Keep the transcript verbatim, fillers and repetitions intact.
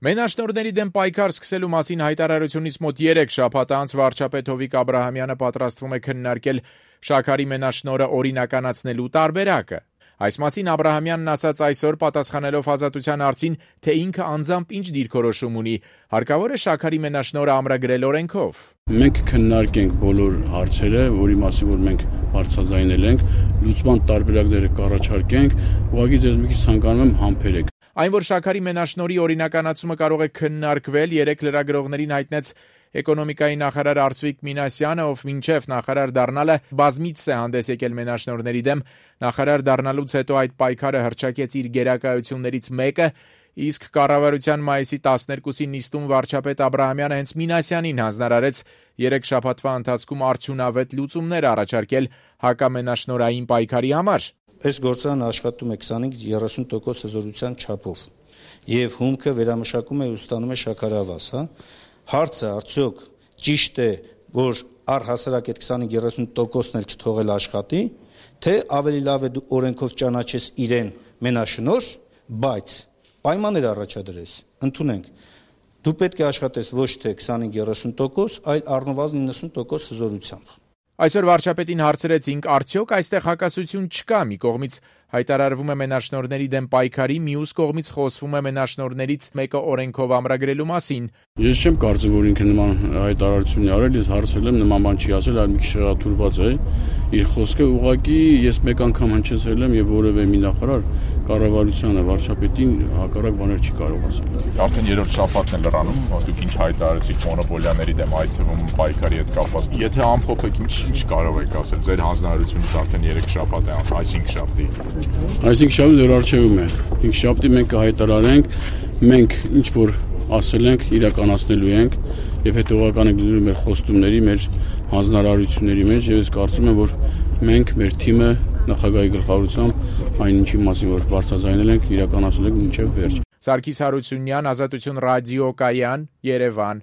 Մենաշնորհների դեմ պայքար սկսելու մասին հայտարարությունից մոտ երեք շաբաթ անց վարչապետ Հովիկ Աբրահամյանը պատրաստվում է քննարկել Շաքարի մենաշնորհը օրինականացնելու տարբերակը։ Այս մասին Աբրահամյանն ասաց այսօր պատասխանելով Ազատության հարցին, թե ինքը անձամբ ինչ դիրքորոշում ունի, հարկավոր է Շաքարի մենաշնորհը ամրագրել օրենքով։ Մենք քննարկենք բոլոր հարցերը, որի մասին որ մենք բարձրաձայնել ենք, լուծման տարբերակները կառաջարկենք, ուղղակի ձեզ մի քիչ ցանկանում եմ համբերեք։ Այն, որ Շաքարի մենաշնորհի օրինականացումը կարող է քննարկվել, երեք լրագրողներին հայտնեց էկոնոմիկայի նախարար Արծվիկ Մինասյանը, ով մինչև նախարար դառնալը բազմիցս է հանդես եկել մենաշնորհների դեմ, նախարար դառնալուց հետո այդ պայքարը հռչակեց իր գերակայություններից մեկը, իսկ կառավարության մայիսի տասներկուսի նիստում վարչապետ Աբրահամյանը հենց Մինասյանին հանձնարարեց երեք շաբաթվա ընթացքում արդյունավետ լուծումներ առաջարկել հակամենաշնորհային պայքարի համար։ Այս գործարանը աշխատում է քսանհինգ երեսուն տոկոս հզորության չափով եւ հումքը վերամշակում է ու ստանում է շաքարավազ, հա։ Հարցը արդյոք ճիշտ է, որ առհասարակ այդ քսանհինգ երեսուն տոկոսն էլ չթողել աշխատի, թե ավելի լավ է դու օրենքով ճանաչես իրեն մենաշնորհ, բայց պայմաններ առաջադրես, ընդունենք։ Դու պետք է աշխատես ոչ թե քսանհինգ երեսուն տոկոս, այլ առնվազն իննսուն տոկոս հզորությամբ։ Այսօր վարչապետին հարցրեցինք, արդյոք այստեղ հակասություն չկա, մի կողմից հայտարարվում է մենաշնորհների դեմ պայքարի, մյուս կողմից խոսվում է մենաշնորհներից մեկը օրենքով ամրագրելու մասին։ Ես չեմ կարծում, որ ինքը նման հայտարարություն արել, ես հարցրել եմ, նման բան չի ասել, այլ մի քիչ շեղաթուրված է իր խոսքը, ուղղակի ես մեկ անգամ հնչեցրել եմ եւ որևէ մի նախարար կառավարությանը, վարչապետին հակառակ բաներ չի կարող ասել։ Արդեն երրորդ շաբաթն է լրանում, դուք ինչ հայտարարեցիք մոնոպոլիաների դեմ, այդ թվում պայքարի հետ կապված։ Եթե ամփոփեք, ինչ կարող եք ասել, ձեր հանձնարարությունից արդեն երեք շաբաթ է, այսինքն շաբթի։ Այսինքն շաբթի դեռ արժևում է։ Ինք շաբթի մենք կհայտարարենք, մենք ինչ որ ասել ենք, իրականացնելու ենք եւ հետեւական ենք դրում մեր խոստումների, մեր հանձնարարությունների մեջ եւ ես կարծում եմ, որ մենք մեր թիմը նախագահի գլխավորությամբ այն ինչի մասին որ բարձրաձայնել ենք, իրականացնել ենք մինչեւ վերջ։ Սարգիս Հարությունյան, Ազատություն ռադիո կայան, Երևան։